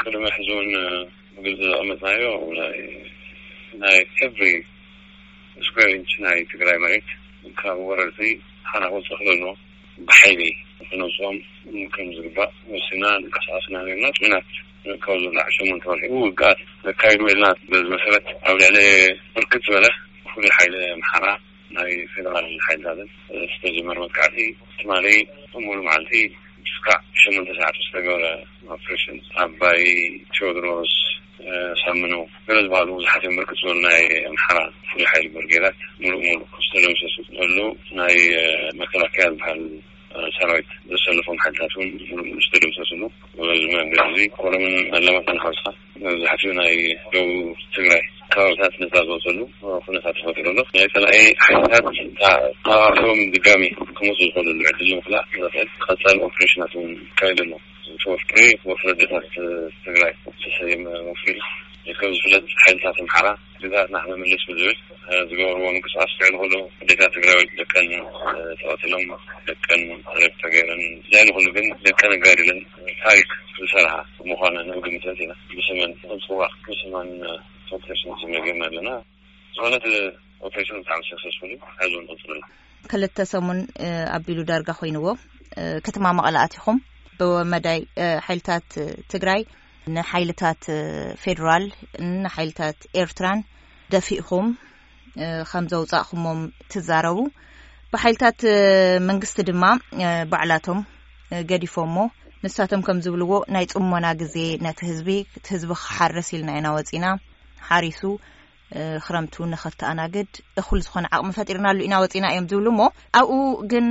ቅድሚ ሕዚ እውን ብግልፂ ዘቐመጥናዮ ናይ ናይ every square inch ናይ ትግራይ መሬት ካብ ወረርቲ ሓና ክወፅእ ክለሎ ብሓይሊ ክነውፅኦም ከም ዝግባእ ወሲና ንቀሳቀስና ነርና። ጭናት ካብ ዝብላዕ ሸሞንተ ወርሒ ውግኣት ነካይዱ ኢልና በዚ መሰረት ኣብ ልዕሊ ብርክት ዝበለ ፍሉይ ሓይሊ ኣምሓራ ናይ ፌደራል ሓይልታትን ዝተጀመረ መጥቃዕቲ ትማሊ ሙሉ መዓልቲ እስካዕ ሸሞንተ ሰዓት ዝተገበረ ኦፕሬሽን ኣባይ፣ ቴዎድሮስ፣ ሳምነው ገለ ዝበሃሉ ብዙሓት እዮም። ብርክት ዝበሉ ናይ ኣምሓራ ፍሉይ ሓይሊ ብርጌዳት ሙሉእ ሙሉእ ዝተደምሰሱ ዘለዉ ናይ መከላከያ ዝበሃል ሰራዊት ዘሰለፎም ሓይልታት እውን ሙሉእ ሙሉእ ዝተደምሰስሉ። በዚ መንገዲ እዚ ኮረምን ኣለማጣን ሓውስካ መብዛሕትኡ ናይ ደቡብ ትግራይ ከባብታት ነፃ ዝወፀሉ ኩነታት ተፈጢሩ ኣሎ። ናይ ፀላኢ ሓይልታት ተኣፋፊሮም ድጋሚ ክመፁ ዝኽእልሉ ዕድል ንምኽላእ ዘኽእል ቀፃሊ ኦፕሬሽናት እውን ይካየድ ኣሎ። እቲ ወፍሪ ወፍሪ ኣዴታት ትግራይ ዝተሰየመ ወፍሪ እዩ። ከም ዝፍለጥ ሓይልታት ኣምሓራ ግዛኣትና ክነምልስ ብዝብል ዝገበርዎ ምንቅስቃስ ልዕሊ ኩሉ ኣዴታት ትግራይ ደቀን ተቐቲሎም ደቀን ሬፕ ተገይረን ልዕሊ ኩሉ ግን ደቀን ኣጋዲለን ታሪክ ዝሰርሓ ምዃነን ንምግምት ኢና። ብስመን ክንፅዋዕ ብስመን ኦፕሬሽን ስም ጌርና ኣለና። ዝኾነ እቲ ኦፕሬሽን ብጣዕሚ ሰክሰስፉል እዩ። ሕዚ እውን ቀፅሉ። ክልተ ሰሙን ኣቢሉ ዳርጋ ኮይንዎ ከተማ መቐለ ኣቲኹም ብመዳይ ሓይልታት ትግራይ ንሓይልታት ፌዴራል ንሓይልታት ኤርትራን ደፊእኹም ከም ዘውፃእኹሞም ትዛረቡ። ብሓይልታት መንግስቲ ድማ ባዕላቶም ገዲፎሞ። ንሳቶም ከም ዝብልዎ ናይ ፅሞና ግዜ ነቲ ህዝቢ እቲ ህዝቢ ክሓርስ ኢልና ኢና ወፂና። ሓሪሱ ክረምቱ ንኸተኣናግድ እኹል ዝኾነ ዓቕሚ ፈጢርናሉ ኢና ወፂና እዮም ዝብሉ። እሞ ኣብኡ ግን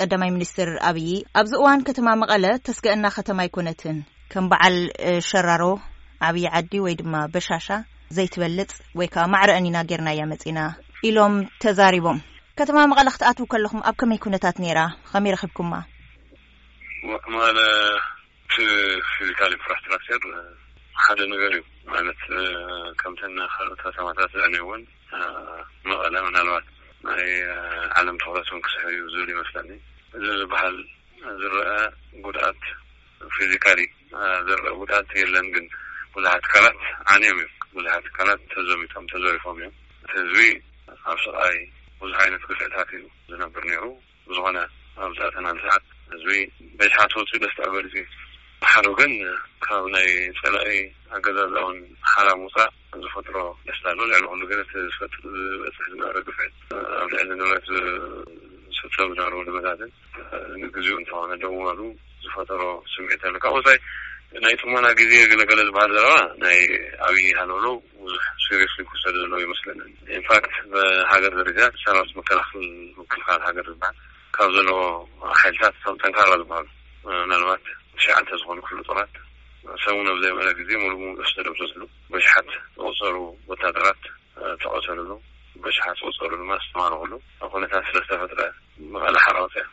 ቀዳማይ ሚኒስትር ኣብይ ኣብዚ እዋን ከተማ መቐለ ተስገአና ከተማ ኣይኮነትን። ከም በዓል ሸራሮ ዓብዪ ዓዲ ወይ ድማ በሻሻ ዘይትበልፅ ወይ ከዓ ማዕረአን ኢና ጌርናያ መፂና ኢሎም ተዛሪቦም። ከተማ መቐለ ክትኣትዉ ከለኹም ኣብ ከመይ ኩነታት ነይራ? ከመይ ረኺብኩማ? መቐለ እቲ ፊዚካል ኢንፍራስትራክቸር ሓደ ነገር እዩ። ማለት ከምተን ካልኦት ከተማታት ዝዕነይወን መቐለ ምናልባት ናይ ዓለም ትኩረት እውን ክስሕብ እዩ ዝብል ይመስለኒ። እዚ ዝበሃል ዝረአ ጉድኣት ፊዚካሊ ዝረአ ጉድኣት የለን፣ ግን ብዙሓት ትካላት ዓንዮም እዮም። ብዙሓት ትካላት ተዘሚቶም ተዘሪፎም እዮም። እቲ ህዝቢ ኣብ ስቓይ ብዙሕ ዓይነት ግፍዕታት እዩ ዝነብር ነይሩ። ብዝኾነ ኣብዚ ኣተናን ሰዓት ህዝቢ በሽሓት ወፂኡ ደስታ ገሊፁ እዩ። ሓሩ ግን ካብ ናይ ፀላኢ ኣገዛዝኣውን ሓራ ምውፃእ ዝፈጥሮ ደስታ ኣሎ። ልዕሊ ኩሉ ግን እቲ ዝፈጥ ዝበፅሕ ዝነበረ ግፍዒ ኣብ ልዕሊ ንብረት ዝፍፀም ዝነበሩ ንብረታትን ንግዚኡ እንተኾነ ደው ምባሉ ዝፈጠሮ ስምዒት ኣሎ። ካብ ወፃኢ ናይ ጥሞና ግዜ ገለገለ ዝበሃል ዘረባ ናይ ኣብይ ሃለውለው ብዙሕ ሲሪየስሊ ክወሰድ ዘለዎ ይመስለንን። ኢንፋክት ብሃገር ደረጃ ሰራዊት መከላኸል ምክልኻል ሃገር ዝበሃል ካብ ዘለዎ ሓይልታት እቶም ጠንካራ ዝበሃሉ ምናልባት ትሽዓተ ዝኾኑ ክፍለ ጦራት ሰሙን ኣብ ዘይመለ ግዜ ሙሉ ሙሉ ዝተደምሰስሉ በሽሓት ዝቆፀሩ ወታደራት ተቐተልሉ በሽሓት ዝቆፀሩ ድማ ዝተማረኽሉ ኩነታት ስለዝተፈጥረ መቐለ ሓራ ወፅያ።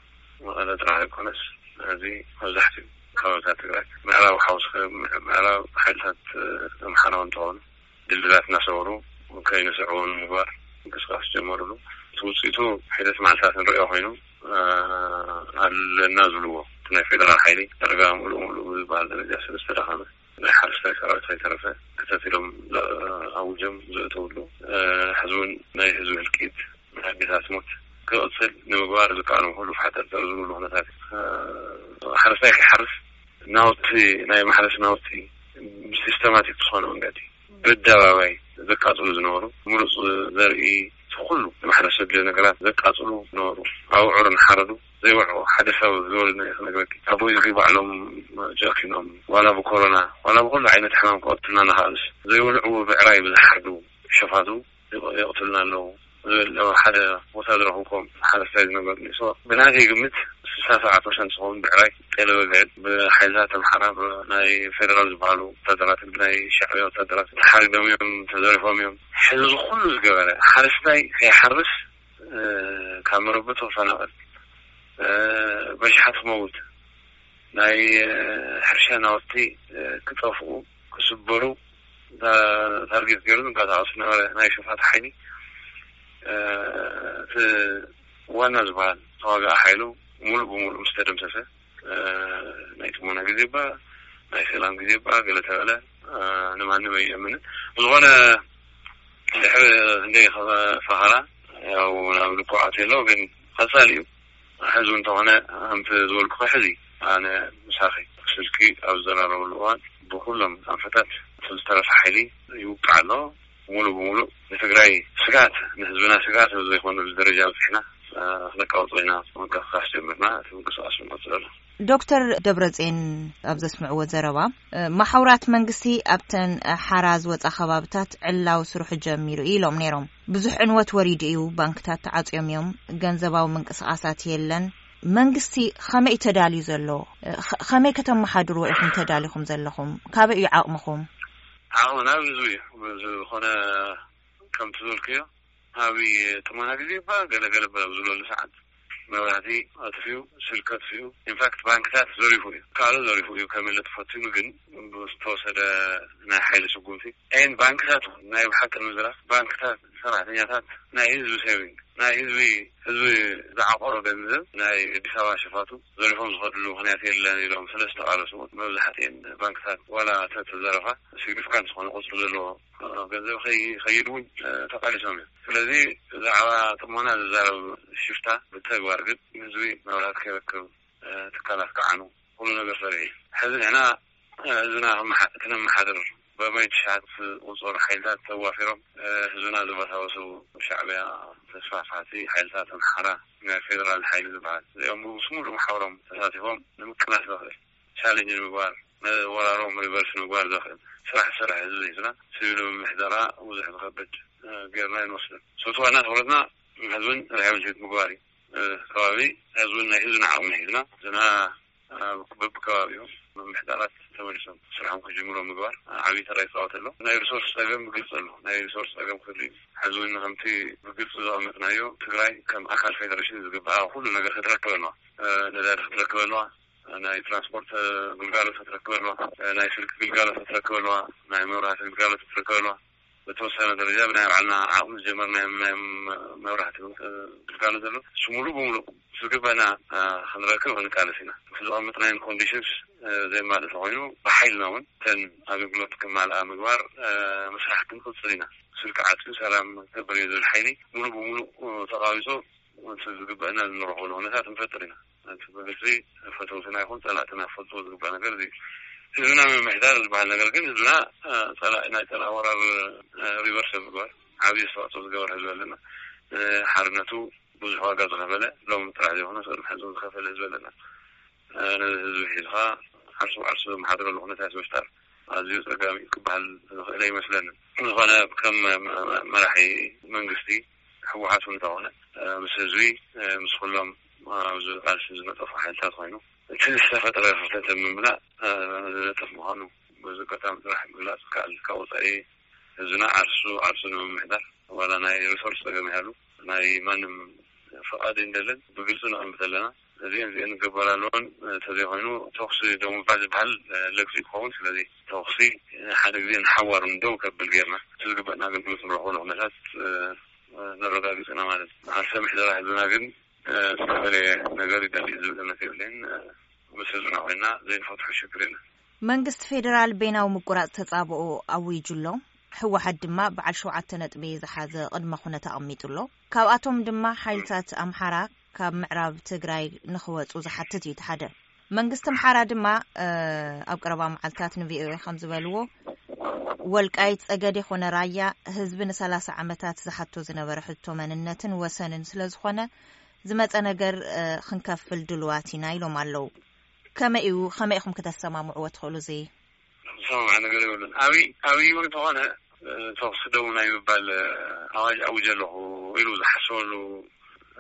መቐለ ጥራሕ ኣይኮነስ እዚ መብዛሕትኡ ከባብታት ትግራይ ምዕራብ ሓውስከ ምዕራብ ሓይልታት ኣምሓራ እውን ተኾኑ ድልድላት እናሰበሩ ከይንስዕቡ ንምግባር ምንቅስቃስ ጀመሩሉ። እቲ ውፅኢቱ ሒደት መዓልታት ንሪኦ ኮይኑ ኣለና ዝብልዎ እቲ ናይ ፌደራል ሓይሊ ዳርጋ ሙሉእ ሙሉእ ብዝበሃል ደረጃ ስለ ዝተዳኸመ ናይ ሓረስታይ ሰራዊት ከይተረፈ ክተት ኢሎም ኣውጆም ዘእተውሉ ሕዚ እውን ናይ ህዝቢ ህልቂት ናይ ኣዴታት ሞት ክቕፅል ንምግባር ዝከኣሎም ኩሉ ፋሕጠርጠር ዝብሉ ኩነታት ሓረስታይ ከይሓርስ ናውቲ ናይ ማሕረስ ናውቲ ብሲስተማቲክ ዝኾነ መንገዲ ብኣደባባይ ዘቃፅሉ ዝነበሩ ምሩፅ ዘርኢ ኩሉ ማሕረስ ዘድልዮ ነገራት ዘቃፅሉ ነበሩ። ኣብዑር እናሓረዱ ዘይወልዑ ሓደ ሰብ ዝበሉና ክነግረኪ ኣቦይ እዚ ባዕሎም ጨኪኖም ዋላ ብኮሮና ዋላ ብኩሉ ዓይነት ሕማም ክቐትሉና እናኸኣሉስ ዘይወልዑ ብዕራይ ብዝሓርዱ ሸፋቱ የቕትሉና ኣለዉ። ዝብል ሓደ ቦታ ዝረኽብኩም ሓረስታይ ዝነገሩኒ። ብናተይ ግምት ስሳ ሰብዓ ፐርሰንት ዝኸውን ብዕራይ ጤለ በግዒ ብሓይልታት ኣምሓራ ናይ ፌደራል ዝበሃሉ ወታደራትን ብናይ ሻዕብያ ወታደራት ተሓሪዶም እዮም፣ ተዘሪፎም እዮም። ሕዚ ዝኩሉ ዝገበረ ሓረስታይ ከይሓርስ ካብ መረበቱ ክፈናቐል በሽሓት ክመውት ናይ ሕርሻ ናውቲ ክጠፍኡ ክስበሩ ታርጌት ገይሩ ዝንቀሳቐስ ዝነበረ ናይ ሸፋቱ ሓይሊ እቲ ዋና ዝበሃል ተዋጋኢ ሓይሉ ሙሉእ ብሙሉእ ምስ ተደምሰሰ ናይ ጥሞና ግዜ እባ ናይ ሰላም ግዜ እባ ገለ ተበለ፣ እ፣ ንማንም ኣይእምንን። ብዝኾነ ድሕሪ ክንደይ ፈኸራ ያው ናብ ልቡ ኣትዩ ኣሎ፣ ግን ቀጻሊ እዩ። ሕዚ እውን እንተኾነ ከምቲ ዝበልኩ ሕዚ ኣነ ምሳኺ ስልኪ ኣብ ዝዘራረበሉ እዋን ብኩሎም ኣንፈታት እቲ ዝተረፈ ሓይሊ ይውቃዕ ኣሎ። ሙሉ ብሙሉ ንትግራይ ስጋት፣ ንህዝብና ስጋት ኣብ ዘይኮነሉ ደረጃ በፂሕና፣ እ፣ ክነቃውጾ ኢና። ምንቅስቃስ ጀምርና፣ እቲ ምንቅስቃስ ንቀጽሎ። ዶክተር ደብረጽዮን ኣብ ዘስምዕዎ ዘረባ፣ እ፣ መሓውራት መንግስቲ ኣብተን ሓራ ዝወጻ ከባብታት ዕላዊ ስርሑ ጀሚሩ እዩ ኢሎም ነይሮም። ብዙሕ ዕንወት ወሪዱ እዩ፣ ባንክታት ተዓጽዮም እዮም፣ ገንዘባዊ ምንቅስቃሳት የለን። መንግስቲ ከመይ እዩ ተዳልዩ ዘሎ? እ፣ ኸ-፣ ከመይ ከተመሓድርዎ ኢኹም ተዳሊኹም ዘለኹም? ካበይ እዩ ዓቕምኹም? ዓቕምና ብዙ እዩ። ዝኾነ ከምቲ ዝበልክዮ፣ ኣብ ጥሞና ግዜ እባ ገለገለ በ-፣ ኣብ ዝብለሉ ሰዓት መብራህቲ ኣጥፊኡ፣ ስልኪ ኣጥፊኡ፣ ኢንፋክት ባንክታት ዘሪፉ እዩ። ካልእ ዘሪፉ እዩ፣ ከመለ ተፈቲኑ ግን ብዝተወሰደ ናይ ሓይሊ ስጉምቲ ኤን ባንክታት እውን ናይ ብሓቂ ንምዝራብ ባንክታት ሰራሕተኛታት ናይ ህዝቢ ሴቪንግ፣ ናይ ህዝቢ፣ ህዝቢ ዝዓቆሮ ገንዘብ ናይ ኣዲስ ኣበባ ሸፋቱ ዘሪፎም ዝኸድሉ ምኽንያት የለን ኢሎም ስለ ዝተቓለሱ እውን መብዛሕትኤን ባንክታት ዋላ ተተዘረፋ ሲግኒፊካንት ዝኾነ ቁፅሪ ዘለዎ ገንዘብ ከይ-፣ ከይድ እውን፣ እ፣ ተቃሊሶም እዮም። ስለዚ ብዛዕባ ጥሞና ዝዛረብ ሽፍታ ብተግባር ግን ንህዝቢ መብራት ከይረክብ፣ እ፣ ትካላት ከዓኑ ኩሉ ነገር ሰሪሑ እዩ። ሕዚ ንሕና፣ እ፣ ህዝብና ክመሓ-፣ ክነመሓድር በመይ ትሽዓት ቁፅር ሓይልታት ተዋፊሮም፣ እ፣ ህዝብና ዘበሳበሱ ሻዕቢያ ተስፋፋቲ ሓይልታት ኣምሓራ ናይ ፌደራል ሓይሊ ዝበሃል እዚኦም ብስሙሉ መሓውሮም ተሳቲፎም ንምቅላስ ዘኽእል ቻሌንጅ ንምግባር፣ ወራሮም ሪቨርስ ምግባር ዘኽእል ስራሕ ዝሰርሕ ህዝቢ ሒዝና፣ ሲቪል ምምሕዳራ ብዙሕ ዝኸብድ፣ እ፣ ጌርና ኣይንወስድን። ሰቱ ዋና ትኹረትና ህዝብን ሪሃብሊቴት ምግባር እዩ። እ፣ ከባቢ ህዝብን ናይ ህዝብን ዓቕሚ ሒዝና፣ ዝና፣ እ፣ በብከባቢኡ ምምሕዳራት ተመሊሶም ስርሖም ክጅምሩ ምግባር፣ እ፣ ዓብዪ ተራ ይፃወት ኣሎ። ናይ ሪሶርስ ፀገም ብግልፂ ኣሎ። ናይ ሪሶርስ ፀገም ክህሉ እዩ። ሕዚ እውን ከምቲ ብግልፂ ዘቐመጥናዮ፣ ትግራይ ከም ኣካል ፌደሬሽን ዝግባኣ ኩሉ ነገር ክትረክብ ኣለዋ። እ፣ ነዳዲ ክትረክብ ኣለዋ። ናይ ትራንስፖርት ግልጋሎት ክትረክብ ኣለዋ፣ ናይ ስልኪ ግልጋሎት ክትረክብ ኣለዋ፣ ናይ መብራህቲ ግልጋሎት ክትረክብ ኣለዋ። በተወሰነ ደረጃ ብናይ ባዕልና ዓቕሚ ዝጀመርናዮም ናይ መብራህቲ ግልጋሎት ዘሎ፣ እሱ ሙሉእ ብሙሉእ ዝግበና፣ እ፣ ክንረክብ ክንቃለስ ኢና። እቲ ዘቐመጥናዮም ኮንዲሽንስ፣ እ፣ ዘየማልእ ተኾይኑ ብሓይልና እውን እተን ኣገልግሎት ክማልኣ ምግባር፣ እ፣ ምስራሕ ክንቅፅል ኢና። ስልኪ ዓፅዩ ሰላም ክገብር እዩ ዝብል ሓይሊ ሙሉእ ብሙሉእ፣ እ፣ ተቓዊፁ እቲ ዝግበአና እንረኽበሉ ኩነታት ንፈጥር ኢና። እቲ ብግልፂ ፈተውትና ይኹን ፀላእትና ክፈልጥዎ ዝግባእ ነገር እዚ እዩ። ህዝብና ምምሕዳር ዝበሃል ነገር ግን ህዝብና፣ እ፣ ፀላኢ፣ ናይ ፀላኢ ወራር፣ እ፣ ሪቨርስ ብምግባር ዓብዪ ኣስተዋፅኦ ዝገበረ ህዝቢ ኣለና። እ፣ ሓርነቱ ብዙሕ ዋጋ ዝኸፈለ፣ ሎሚ ጥራሕ ዘይኮነ፣ ቅድሚ ሕዚ ዝኸፈለ ህዝቢ ኣለና። እ፣ ነዚ ህዝቢ ሒዝኻ ዓርሱ ብዓርሱ ዘመሓድረሉ ኩነታት ምፍጣር ኣዝዩ ጸጋሚ እዩ ክበሃል ዝኽእል ኣይመስለንን። ዝኾነ ከም መ-፣ መ-፣ መራሒ መንግስቲ ህወሓት እውን እንተኾነ፣ እ፣ ምስ ህዝቢ፣ እ፣ ምስ ኩሎም ኣብዚ ቃልሲ ዝነጠፉ ሓይልታት ኮይኑ፣ እቲ ዝተፈጥረ ክፍተት ንምምላእ፣ እ፣ ዝነጥፍ ምዃኑ በዚ ኣጋጣሚ ጥራሕ ምግላጽ ይከኣል። ካብ ወጻኢ ህዝብና ዓርሱ ዓርሱ ንምምሕዳር ዋላ ናይ ሪሶርስ ጸገም ይሃሉ ናይ ማንም ፍቓድ እንደለን ብግልፂ ነቐምጥ ኣለና። እዚአን እዚአን ንገበር ኣለዎን፣ እንተዘይኮይኑ ተኹሲ ደው ምባል ዝበሃል ለግፂ ክኸውን። ስለዚ ተኹሲ ሓደ ግዜ ንሓዋሩ ደው ከብል ጌርና እቲ ዝግበእና ኣገልግሎት ንረኽበሉ ኩነታት፣ እ፣ ነረጋግፅ ኢና ማለት እዩ። ዓርሰ ምሕደራ ህዝብና ግን፣ እ፣ ዝተፈላለየ ነገር ይደሊ ዝብል እምነት የብለይን። እ፣ ምስ ህዝብና ኮይና ዘይንፈትሖ ሽግር የለን። መንግስቲ ፌዴራል በይናዊ ምቁራፅ ተፃብኦ ኣዊጁ ኣሎ። ህወሓት ድማ በዓል ሸውዓተ ነጥቢ ዝሓዘ ቅድመ ኩነት ኣቐሚጡ ኣሎ። ካብኣቶም ድማ ሓይልታት ኣምሓራ ካብ ምዕራብ ትግራይ ንኽወፁ ዝሓትት እዩ እቲ ሓደ። መንግስቲ ኣምሓራ ድማ፣ እ፣ ኣብ ቀረባ መዓልታት ንቪኦኤ ከም ዝበልዎ፣ ወልቃይት ጸገዴ ኾነ ራያ ህዝቢ ንሰላሳ ዓመታት ዝሓቶ ዝነበረ ሕቶ መንነትን ወሰንን ስለ ዝኾነ፣ ዝመጸ ነገር፣ እ፣ ክንከፍል ድሉዋት ኢና ኢሎም ኣለዉ። ከመይ እዩ፣ ከመይ ኢኹም ከተሰማምዕዎ ትኽእሉ እዚ? ዝሰማማዕ ነገር የብሉን። ኣብይ፣ ኣብይ እውን እንተኾነ፣ እ፣ ተኹሲ ደው ናይ ምባል፣ እ፣ ኣዋጅ ኣውጀ ኣለኹ ኢሉ ዝሓሰበሉ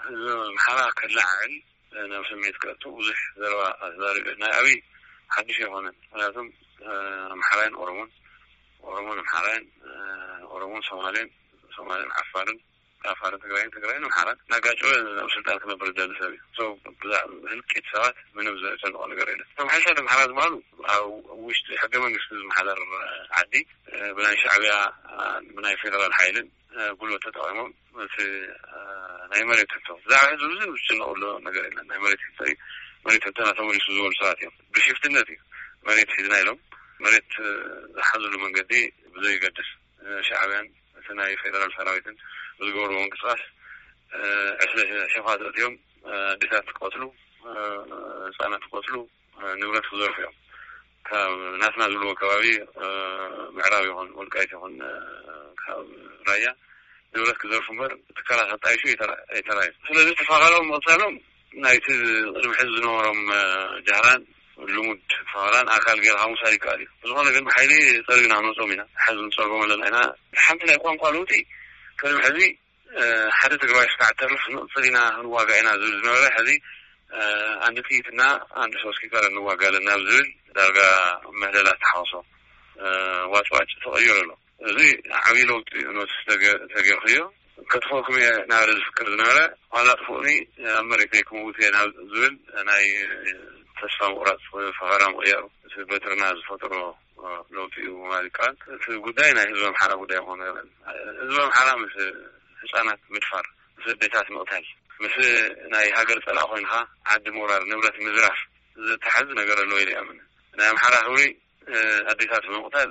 ህዝቢ ኣምሓራ ከለዓዕል፣ እ፣ ናብ ስምዒት ከእቱ ብዙሕ ዘረባ ተዛሪቡ። ናይ ኣብይ ሓድሽ ኣይኮነን። ምክንያቱም፣ እ፣ ኣምሓራይን ኦሮሞን፣ ኦሮሞን ኣምሓራይን፣ እ፣ ኦሮሞን ሶማሌን፣ ሶማሌን ዓፋርን፣ ዓፋርን ትግራይን፣ ትግራይን ኣምሓራን እናጋጨወ ኣብ ስልጣን ክነብር ዝደሊ ሰብ እዩ። So፣ ብዛዕባ ህልቂት ሰባት ምንም ዘጨንቆ ነገር የለን። እቶም ሓይልታት ኣምሓራ ዝበሃሉ ኣብ ውሽጢ ሕገ መንግስቲ ዝመሓደር ዓዲ፣ እ፣ ብናይ ሻዕቢያ፣ እ፣ ብናይ ፌደራል ሓይልን፣ እ፣ ጉልበት ተጠቒሞም እቲ፣ እ፣ ናይ መሬት ሕቶ፣ ብዛዕባ ህዝቢ ብዙሕ ዝጭነቑሉ ነገር የለን። ናይ መሬት ሕቶ እዩ። መሬት ሕቶና ተመሊሱ ዝበሉ ሰባት እዮም። ብሽፍትነት እዩ። መሬት ሒዝና ኢሎም መሬት ዝሓዝሉ መንገዲ ብዘይገድስ ሻዕብያን እቲ ናይ ፌደራል ሰራዊትን ብዝገብርዎ ምንቅስቃስ ዕስለ ሸፋት ኣትዮም ኣዴታት ክቀትሉ፣ ህፃናት ክቀትሉ፣ ንብረት ክዘርፉ እዮም። ካብ ናትና ዝብልዎ ከባቢ ምዕራብ ይኹን ወልቃይት ይኹን ካብ ራያ ንብረት ክዘርፉ እምበር ትካላት ኣጣይሹ ኣይተራእዩ። ስለዚ ተፋቀሮም ምቕፃሎም ናይቲ ቅድሚ ሕዚ ዝነበሮም ጃህራን ልሙድ ፈኸራን ኣካል ጌርካ ምውሳድ ይከኣል እዩ። ብዝኾነ ግን ብሓይሊ ጸሪግና ክንወጾም ኢና። ሕዚ ንጸርጎም ኣለና ኢና። ሓንቲ ናይ ቋንቋ ለውጢ ቅድሚ ሕዚ ሓደ ትግራዋይ እስካዕ ተርፍ ንቕጽል ኢና ክንዋጋእ ኢና ዝብል ዝነበረ፣ ሕዚ ኣንድ ጥይትና ኣንድ ሶስት ኪካር እንዋጋ ኣለና ኣብ ዝብል ዳርጋ ምህለላ ተሓወሶ ዋጭዋጭ ተቐይሩ ኣሎ። እዚ ዓብዪ ለውጢ ኖቲስ ተገይርክዮ። ከጥፍኦኩም እየ እናበለ ዝፍክር ዝነበረ ዋላ ጥፍኡኒ ኣብ መሬተይ ክምውት እየ ናብ ዝብል ናይ ተስፋ ምቑራፅ ፈኸራ ምቕያሩ እቲ በትርና ዝፈጥሮ ለውጢ እዩ ማለት ይከኣል። እቲ ጉዳይ ናይ ህዝቢ ኣምሓራ ጉዳይ ምዃኑ የለን። ህዝቢ ኣምሓራ ምስ ህፃናት ምድፋር፣ ምስ ኣዴታት ምቕታል፣ ምስ ናይ ሃገር ፀላእ ኮይንካ ዓዲ ምውራር፣ ንብረት ምዝራፍ ዝተሓዝ ነገር ኣለዎ ኢለ ይኣምን። ናይ ኣምሓራ ክብሪ ኣዴታት ብምቕታል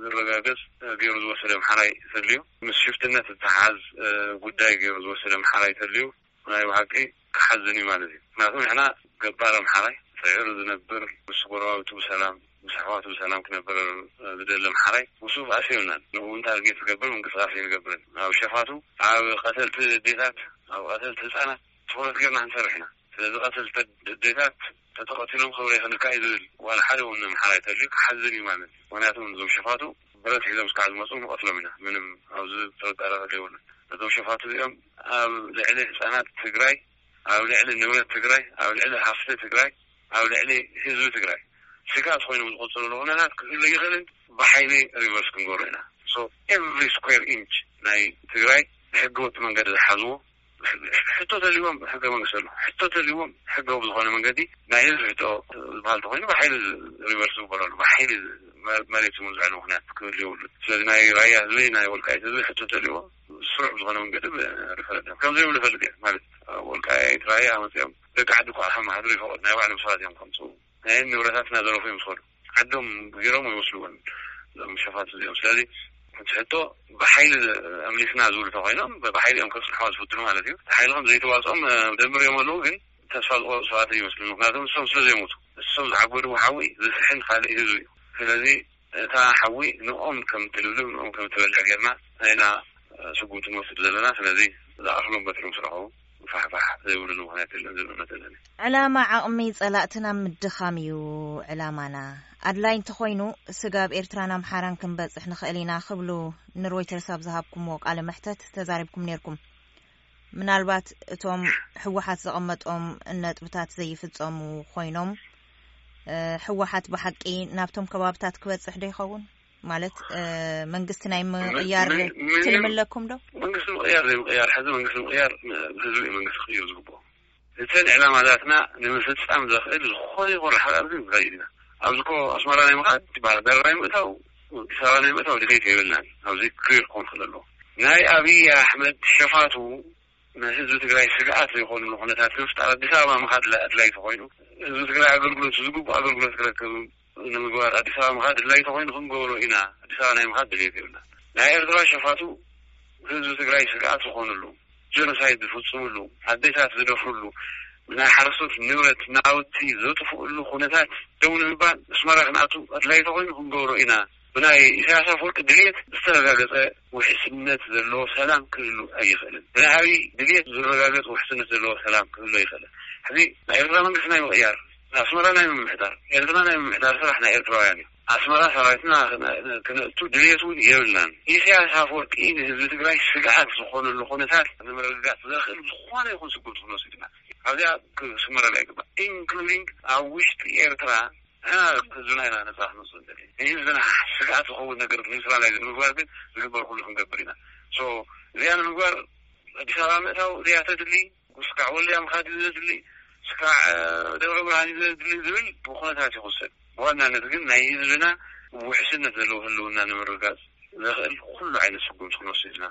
ዝረጋገፅ ገይሩ ዝወሰደ ኣምሓራይ ተድልዩ፣ ምስ ሽፍትነት ዝተሓዝ ጉዳይ ገይሩ ዝወሰደ ኣምሓራይ ተድልዩ ናይ ብሓቂ ክሓዝን እዩ ማለት እዩ። ምክንያቱ ንሕና ገባር ኣምሓራይ ፅዒሩ ዝነብር፣ ምስ ጎረባብቱ ብሰላም፣ ምስ ኣሕዋቱ ብሰላም ክነብር ዝደሊ ኣምሓራይ ምስኡ ባእሲ የብልናን። ንኡ እውን ታርጌት ዝገብር ምንቅስቃስ ኣይንገብርን። ኣብ ሸፋቱ፣ ኣብ ቀተልቲ ኣዴታት፣ ኣብ ቀተልቲ ህፃናት ትኹረት ጌርና ክንሰርሕ ኢና። ስለዚ ቀተልቲ ኣዴታት ተተቐቲሎም ክብረይ ክንካ እዩ ዝብል ዋላ ሓደ እውን ኣምሓራይ ተልዩ ክሓዝን እዩ ማለት እዩ። ምክንያቱ እዞም ሸፋቱ ብረት ሒዞም እስካዕ ዝመፁ ንቐትሎም ኢና። ምንም ኣብዚ ጥርጣረ የብሉን። እዞም ሸፋቱ እዚኦም ኣብ ልዕሊ ህፃናት ትግራይ፣ ኣብ ልዕሊ ንብረት ትግራይ፣ ኣብ ልዕሊ ሃፍቲ ትግራይ፣ ኣብ ልዕሊ ህዝቢ ትግራይ ስጋት ኮይኖም ዝቆፅሩ ኩነታት ክህሉ ይኽእልን ብሓይሊ ሪቨርስ ክንገብሮ ኢና። So every square inch ናይ ትግራይ ብሕገ ወጥ መንገዲ ዝሓዝዎ ሕቶ ተልዎም ሕገ መንግስቲ ኣሎ። ሕቶ ተልዎም ሕገ ብዝኾነ መንገዲ ናይ ህዝቢ ሕቶ ዝበሃል ተኮይኑ ብሓይሊ ሪቨርስ ዝበረሉ ብሓይሊ መሬት ዝመዝዐሉ ምክንያት ክህሉ የብሉ። ስለዚ ናይ ራያ ህዝቢ ናይ ወልቃይት ህዝቢ ሕቶ ተልዎ ስሩዕ ብዝኾነ መንገዲ ሪፈረንደም ከምዘይብሉ ፈልጥ እየ። ማለት ወልቃይት ራያ መፅኦም ደቂ ዓዲ እኳ ከመሃድሩ ይፈቐዱ ናይ ባዕሎም ሰባት እዮም ከምፅኡ ናይ ንብረታትና ዘረፉ እዮም ዝኸዱ። ዓዶም ገይሮም ይወስድዎን እዞም ሸፋት እዚኦም። ስለዚ እቲ ሕቶ ብሓይሊ ኣምሊስና ዝብሉ ተኮይኖም ብሓይሊ እዮም ከፅንሕዋ ዝፍትኑ ማለት እዩ። ሓይልኩም ዘይተዋፅኦም ደምር እዮም ኣለዉ ግን ተስፋ ዝቆርፁ ሰባት ይመስሉ። ምክንያቱም እሶም ስለ ዘይሞቱ እሶም ዝዓበድዎ ሓዊ ዝስሕን ካልእ ህዝቢ እዩ። ስለዚ እታ ሓዊ ንኦም ከም ትልብልብ ንኦም ከም ትበልዕ ጌርና ናይና ስጉምቲ ንወስድ ዘለና። ስለዚ ዝኣኽሎም በትሮም ስረኸቡ ፋሕፋሕ ዘይብሉ ምክንያት የለን ዝብል እምነት ኣለኒ። ዕላማ ዓቕሚ ጸላእትና ምድኻም እዩ ዕላማና። ኣድላይ እንተኾይኑ ስጋብ ኤርትራን ኣምሓራን ክንበጽሕ ንኽእል ኢና ክብሉ ንሮይተርስ ኣብ ዝሃብኩምዎ ቃለ መሕተት ተዛሪብኩም ነይርኩም። ምናልባት እቶም ህወሓት ዘቐመጦም ነጥብታት ዘይፍጸሙ ኮይኖም ህወሓት ብሓቂ ናብቶም ከባብታት ክበጽሕ ዶ ይኸውን? ማለት መንግስቲ ናይ ምቕያር ትልሚ ኣለኩም ዶ? መንግስቲ ምቕያር ዘይምቕያር ሕዚ መንግስቲ ምቕያር ህዝቢ እዩ መንግስቲ ክቕይር ዝግብኦ። እተን ዕላማታትና ንምፍፃም ዘኽእል ዝኾነ ይኹን ሓላል ግን ንኸይድ ኢና። ኣብዚ ኮ ኣስመራ ናይ ምኻድ ባህርዳር ናይ ምእታው ኣዲስ ኣበባ ናይ ምእታው ድሌት የብልናን። ኣብዚ ክሊር ክኾን ክእል ኣለዎ። ናይ ኣብይ ኣሕመድ ሸፋቱ ንህዝቢ ትግራይ ስግኣት ዘይኮንሉ ኩነታት ንምፍጣር ኣዲስ ኣበባ ምኻድ ኣድላይ ተኮይኑ ህዝቢ ትግራይ ኣገልግሎት ዝግብኦ ኣገልግሎት ክረክብ ንምግባር ኣዲስ ኣበባ ምኻድ ኣድላይ ተኮይኑ ክንገብሮ ኢና። ኣዲስ ኣበባ ናይ ምኻድ ድሌት የብልና። ናይ ኤርትራ ሸፋቱ ህዝቢ ትግራይ ስግኣት ዝኾንሉ ጀኖሳይድ ዝፍፅምሉ ኣዴታት ዝደፍርሉ ናይ ሓረስቶት ንብረት ናውቲ ዘጥፍእሉ ኩነታት ደው ንምባል ኣስመራ ክንኣቱ ኣድላይ ተኮይኑ ክንገብሮ ኢና። ብናይ ኢሳያስ ኣፈወርቂ ድልየት ዝተረጋገፀ ውሕስነት ዘለዎ ሰላም ክህሉ ኣይኽእልን። ብናይ ኣብይ ድልየት ዝረጋገፅ ውሕስነት ዘለዎ ሰላም ክህሉ ኣይኽእልን። ሕዚ ናይ ኤርትራ መንግስቲ ናይ ምቕያር ኣስመራ ናይ ምምሕዳር ኤርትራ ናይ ምምሕዳር ስራሕ ናይ ኤርትራውያን እዩ። ኣስመራ ሰራዊትና ክነእቱ ድልየት እውን የብልናን። ኢሳያስ ኣፈወርቂ ንህዝቢ ትግራይ ስግኣት ዝኾነሉ ኩነታት ንምርግጋፅ ዘኽእል ዝኾነ ይኹን ስጉምቲ ክንወስድ ኢና። ኣብዚኣ ክስመረላ ይግባእ። ኢንክሉዲንግ ኣብ ውሽጢ ኤርትራ ንሕና ህዝብና ኢና ነፃ ክንወፅእ ንደሊ። ንህዝብና ስግኣት ዝኸውን ነገር ኒውትራላይዝ ንምግባር ግን ዝግበር ኩሉ ክንገብር ኢና። ሶ እዚኣ ንምግባር ኣዲስ ኣበባ ምእታው እዚኣ ተድሊ፣ ስካዕ ወልድያ ምኻድ እዩ ዘድሊ፣ ስካዕ ደብረ ብርሃን እዩ ዘድሊ ዝብል ብኩነታት ይኽሰብ። ብዋናነት ግን ናይ ህዝብና ውሕስነት ዘለዎ ህልውና ንምርጋፅ ዘኽእል ኩሉ ዓይነት ስጉምቲ ክንወስድ ኢና።